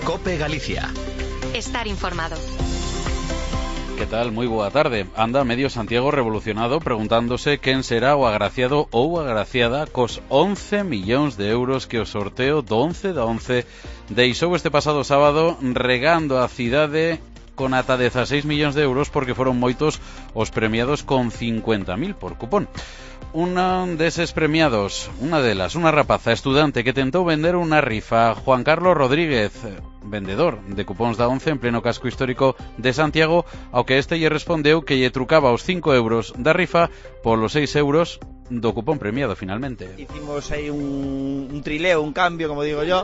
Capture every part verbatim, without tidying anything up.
COPE Galicia. Estar informado. Que tal? Moi boa tarde. Anda medio Santiago revolucionado preguntándose quen será o agraciado ou agraciada cos once millóns de euros que o sorteo do once da once deixou este pasado sábado, regando a cidade con ata dezaseis millóns de euros, porque foron moitos os premiados con cincuenta mil por cupón. Un deses premiados, unha delas, unha rapaza estudante que tentou vender unha rifa, Juan Carlos Rodríguez, vendedor de cupóns da once en pleno casco histórico de Santiago, ao que este lle respondeu que lle trucaba os cinco euros da rifa polos seis euros do cupón premiado finalmente. Hicimos ahí un, un trileo, un cambio, como digo yo.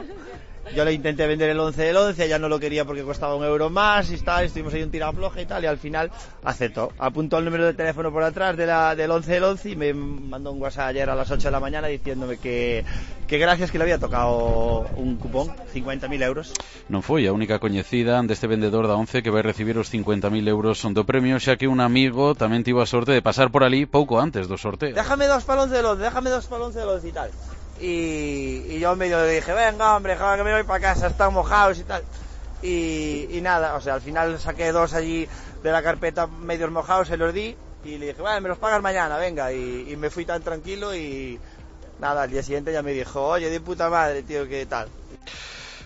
Yo le intenté vender el once del once, ella no lo quería porque costaba un euro más y tal, estuvimos ahí un tirafloje y tal, y al final aceptó. Apuntó el número de teléfono por atrás de la, del once del once y me mandó un WhatsApp ayer a las ocho de la mañana diciéndome que, que gracias, que le había tocado un cupón, cincuenta mil euros. Non foi a única coñecida deste vendedor da once que vai recibir os cincuenta mil euros do premio, xa que un amigo tamén tivo a sorte de pasar por ali pouco antes do sorteo. Déjame dos para el once del once, déjame dos para el once del once y tal. Y, y yo medio le dije, venga hombre, joder, que me voy para casa, están mojados y tal. Y, y nada, o sea, al final saqué dos allí de la carpeta medios mojados, se los di y le dije, vale, me los pagas mañana, venga. Y, y me fui tan tranquilo y nada, al día siguiente ya me dijo, oye, de puta madre, tío, ¿qué tal?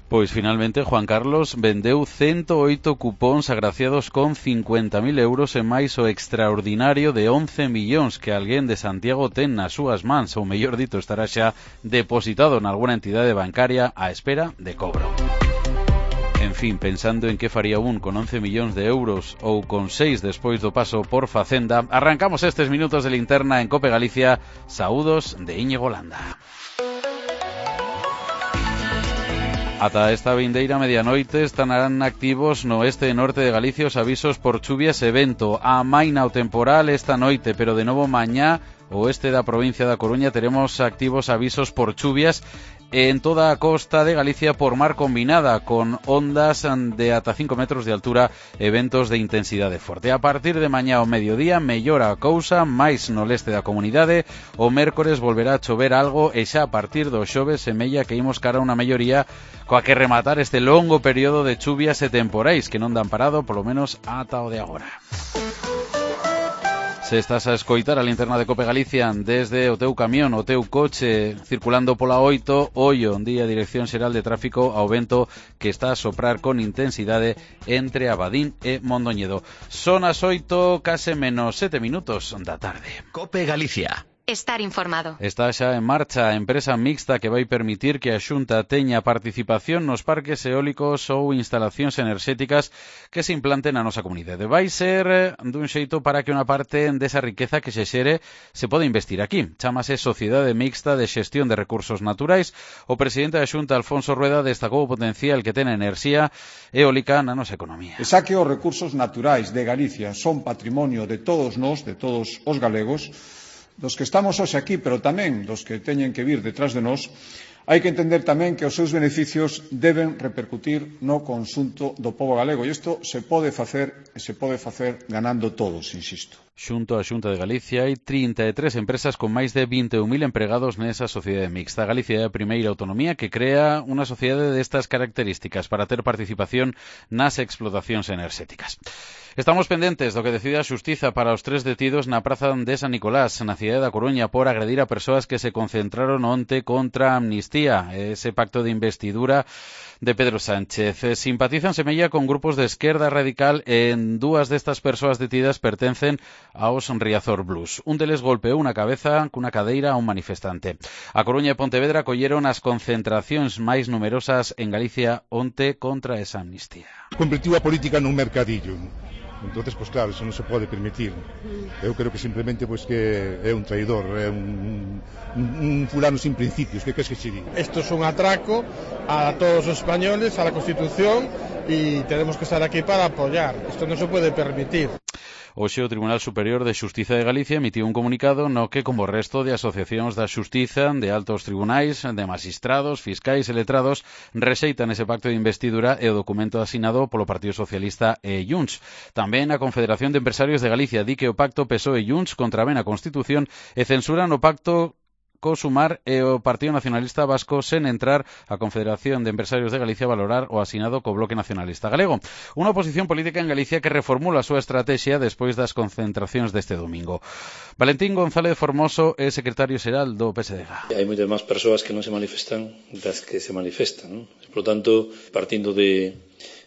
Pois finalmente Juan Carlos vendeu ciento oito cupóns agraciados con cincuenta mil euros e máis o extraordinario de once millóns que alguén de Santiago ten nas súas mans, ou mellor dito, estará xa depositado en alguna entidade bancaria á espera de cobro. En fin, pensando en que faría un con once millóns de euros ou con seis despois do paso por Facenda, arrancamos estes minutos de linterna en COPE Galicia. Saúdos de Íñigo Landa. Ata esta vindeira medianoite estarán activos no este e norte de Galicia os avisos por chuvias e vento. Amaina o temporal esta noite, pero de novo mañá o oeste da provincia da Coruña teremos activos avisos por chuvias en toda a costa de Galicia por mar combinada, con ondas de ata cinco metros de altura e ventos de intensidade forte. A partir de mañá ao mediodía mellora a cousa, máis no leste da comunidade. O mércores volverá a chover algo e xa a partir do xoves semella que imos cara a unha melloría coa que rematar este longo período de chuvias e temporais que non dan parado, polo menos ata o de agora. Se estás a escoitar a linterna de COPE Galicia desde o teu camión, o teu coche, circulando pola oito, ollo, día Dirección Xeral de Tráfico ao vento que está a soprar con intensidade entre Abadín e Mondoñedo. Son as oito, case menos sete minutos da tarde. COPE Galicia. Estar informado. Está xa en marcha a empresa mixta que vai permitir que a Xunta teña participación nos parques eólicos ou instalacións enerxéticas que se implanten na nosa comunidade. Vai ser dun xeito para que unha parte desa riqueza que se xere se pode investir aquí. Chámase Sociedade Mixta de Xestión de Recursos Naturais. O presidente da Xunta, Alfonso Rueda, destacou o potencial que ten a enerxía eólica na nosa economía. E xa que os recursos naturais de Galicia son patrimonio de todos nós, de todos os galegos, dos que estamos hoxe aquí, pero tamén dos que teñen que vir detrás de nós, hai que entender tamén que os seus beneficios deben repercutir no conxunto do pobo galego, e isto se pode facer e se pode facer ganando todos, insisto. Xunto á Xunta de Galicia hai trinta e tres empresas con máis de vinte e un mil empregados nesa sociedade mixta. Galicia é a primeira autonomía que crea unha sociedade destas características para ter participación nas explotacións enerxéticas. Estamos pendentes do que decide a Xustiza para os tres detidos na praza de San Nicolás, na cidade da Coruña, por agredir a persoas que se concentraron onte contra a amnistía, ese pacto de investidura de Pedro Sánchez. Simpatizan semella con grupos de esquerda radical e en dúas destas persoas detidas pertencen aos Riazor Blues. Un deles golpeou na cabeza cunha cadeira a un manifestante. A Coruña e Pontevedra colleron as concentracións máis numerosas en Galicia onte contra esa amnistía. Convertiu a política nun mercadillo. Entonces, pues claro, eso non se pode permitir. Eu creo que simplemente pues que é un traidor, é un, un, un fulano sin principios. Que crees que se diga? Esto es un atraco a todos los españoles, a la Constitución, y tenemos que estar aquí para apoyar. Esto no se puede permitir. Hoxe o Tribunal Superior de Xustiza de Galicia emitiu un comunicado no que, como o resto de asociacións da Xustiza, de altos tribunais, de magistrados, fiscais e letrados, rexeitan ese pacto de investidura e o documento asinado polo Partido Socialista e Junts. Tamén a Confederación de Empresarios de Galicia di que o pacto P S O E e Junts contravén a Constitución e censuran o pacto co Sumar e o Partido Nacionalista Vasco sen entrar a Confederación de Empresarios de Galicia a valorar o asinado co Bloque Nacionalista Galego. Unha oposición política en Galicia que reformula a súa estrategia despois das concentracións deste domingo. Valentín González Formoso é secretario xeral do P S D G. Hai moitas máis persoas que non se manifestan das que se manifestan, non? Por lo tanto, partindo de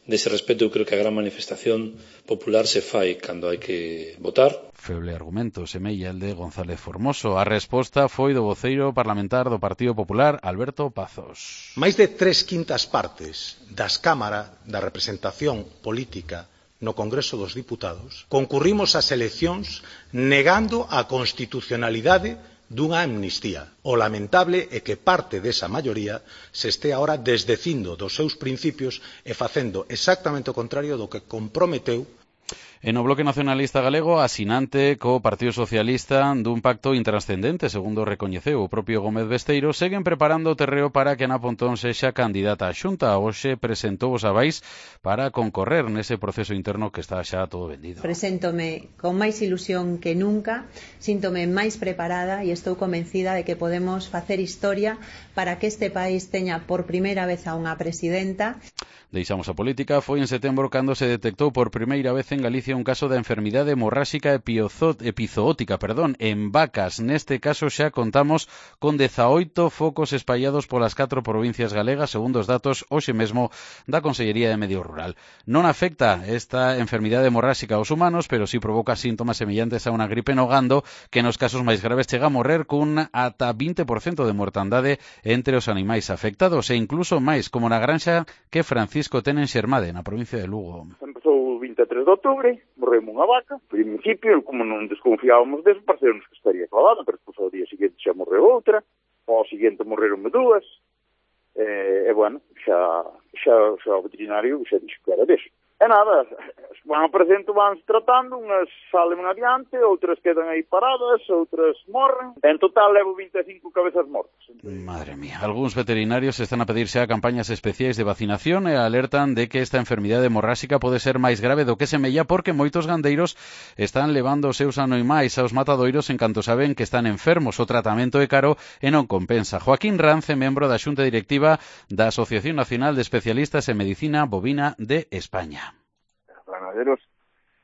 dese respeto, eu creo que a gran manifestación popular se fai cando hai que votar. Feble argumento semella el de González Formoso. A resposta foi do voceiro parlamentar do Partido Popular, Alberto Pazos. Máis de tres quintas partes das cámaras da representación política no Congreso dos Diputados concurrimos ás eleccións negando a constitucionalidade dunha amnistía. O lamentable é que parte desa maioría se este agora desdecindo dos seus principios e facendo exactamente o contrario do que comprometeu. E no Bloque Nacionalista Galego, asinante co Partido Socialista dun pacto intranscendente, segundo recoñeceu o propio Gómez Besteiro, seguen preparando o terreo para que Ana Pontón sexa candidata á Xunta. Hoxe presentou os avais para concorrer nese proceso interno que está xa todo vendido. Preséntome con máis ilusión que nunca, síntome máis preparada e estou convencida de que podemos facer historia para que este país teña por primeira vez a unha presidenta. Deixamos a política. Foi en setembro cando se detectou por primeira vez en Galicia un caso de enfermidade hemorráxica epizootica perdón, en vacas. Neste caso xa contamos con dezaoito focos espallados polas catro provincias galegas, segundo os datos hoxe mesmo da Consellería de Medio Rural. Non afecta esta enfermidade hemorráxica aos humanos, pero si provoca síntomas semellantes a unha gripe no gando, que nos casos máis graves chega a morrer cun ata vinte por cento de mortandade entre os animais afectados, e incluso máis, como na granxa que Francisco ten en Xermade, na provincia de Lugo. Empezou o vinte e tres de outubro, morreu unha vaca. Ao principio, como non desconfiábamos deso, parecemos que estaría clavada, pero despois ao día seguinte xa morreu outra, ao seguinte morreron dúas, e, e bueno, xa, xa, xa o veterinario xa dixo que era deso. E nada, van aparecendo, van tratando, unhas salen adiante, outras quedan aí paradas, outras morren. En total levo vinte e cinco cabezas mortas. Madre mía, algúns veterinarios están a pedir xa campañas especiais de vacinación e alertan de que esta enfermidade hemorráxica pode ser máis grave do que semella, porque moitos gandeiros están levando os seus animais aos matadoiros en canto saben que están enfermos. O tratamento é caro e non compensa. Joaquín Rance, membro da Xunta Directiva da Asociación Nacional de Especialistas en Medicina Bovina de España. Ganaderos,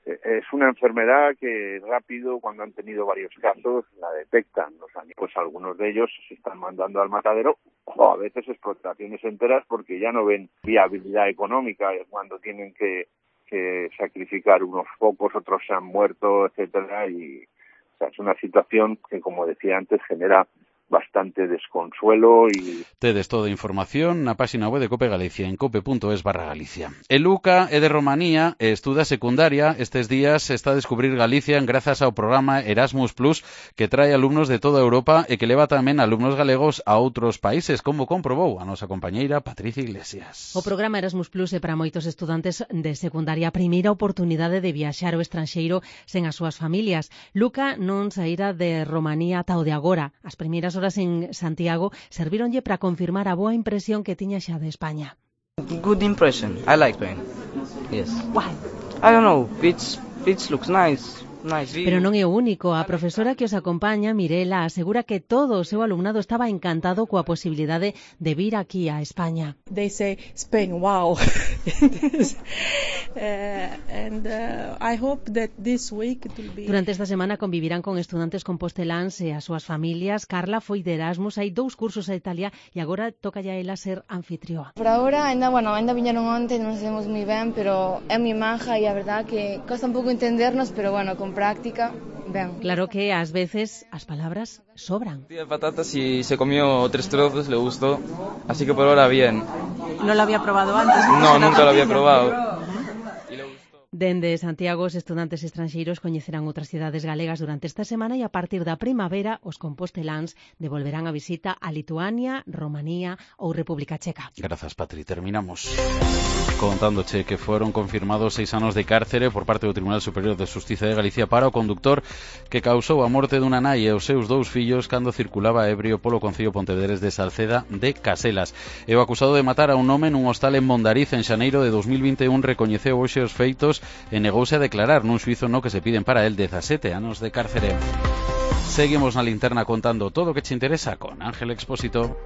eh, es una enfermedad que rápido, cuando han tenido varios casos, la detectan los animales. Pues algunos de ellos se están mandando al matadero, o a veces explotaciones enteras, porque ya no ven viabilidad económica cuando tienen que, que sacrificar unos pocos, otros se han muerto, etcétera. Y o sea, es una situación que, como decía antes, genera bastante desconsuelo e... Tedes toda a información na página web de Cope Galicia en cope.es barra Galicia. E Luca é de Romanía e estuda secundaria. Estes días está a descubrir Galicia grazas ao programa Erasmus Plus, que trae alumnos de toda Europa e que leva tamén alumnos galegos a outros países, como comprobou a nosa compañeira Patricia Iglesias. O programa Erasmus Plus é para moitos estudantes de secundaria a primeira oportunidade de viaxar ao estranxeiro sen as súas familias. Luca non saíra de Romanía ata o de agora. As primeiras horas en Santiago servíronlle para confirmar a boa impresión que tiña xa de España. Good impression. I like Spain. Yes. Why? I don't know. It's it looks nice. Nice. Pero non é o único. A profesora que os acompaña, Mirela, asegura que todo o seu alumnado estaba encantado coa posibilidade de vir aquí a España. They say Spain, wow. uh, and uh, I hope that this week it will be... Durante esta semana convivirán con estudantes composteláns e as súas familias. Carla foi de Erasmus, hai dous cursos a Italia e agora toca ya ela ser anfitrioa. Por agora, ainda, bueno, ainda viñeron onte, non sabemos moi ben, pero é moi maja e a verdad que costa un pouco entendernos, pero bueno, con práctica, ben. Claro que ás veces as palabras sobran. De patatas y se comió tres trozos, le gustó, así que por ahora bien. ¿No lo había probado antes? No, nunca lo había probado. Dende Santiago, os estudantes estranxeiros coñecerán outras cidades galegas durante esta semana e a partir da primavera os composteláns devolverán a visita a Lituania, Romanía ou República Checa. Grazas, Patri. Terminamos contándoche que foron confirmados seis anos de cárcere por parte do Tribunal Superior de Xustiza de Galicia para o conductor que causou a morte dunha nai e os seus dous fillos cando circulaba ebrio polo concello Pontevedrés de Salceda de Caselas. E o acusado de matar a un home nun hostal en Mondariz en xaneiro de dos mil vinte e un recoñeceu hoxe os feitos e negouse a declarar nun xuízo no que se piden para el dezasete anos de cárcere. seguimos na linterna contando todo o que che interesa con Ángel Expósito.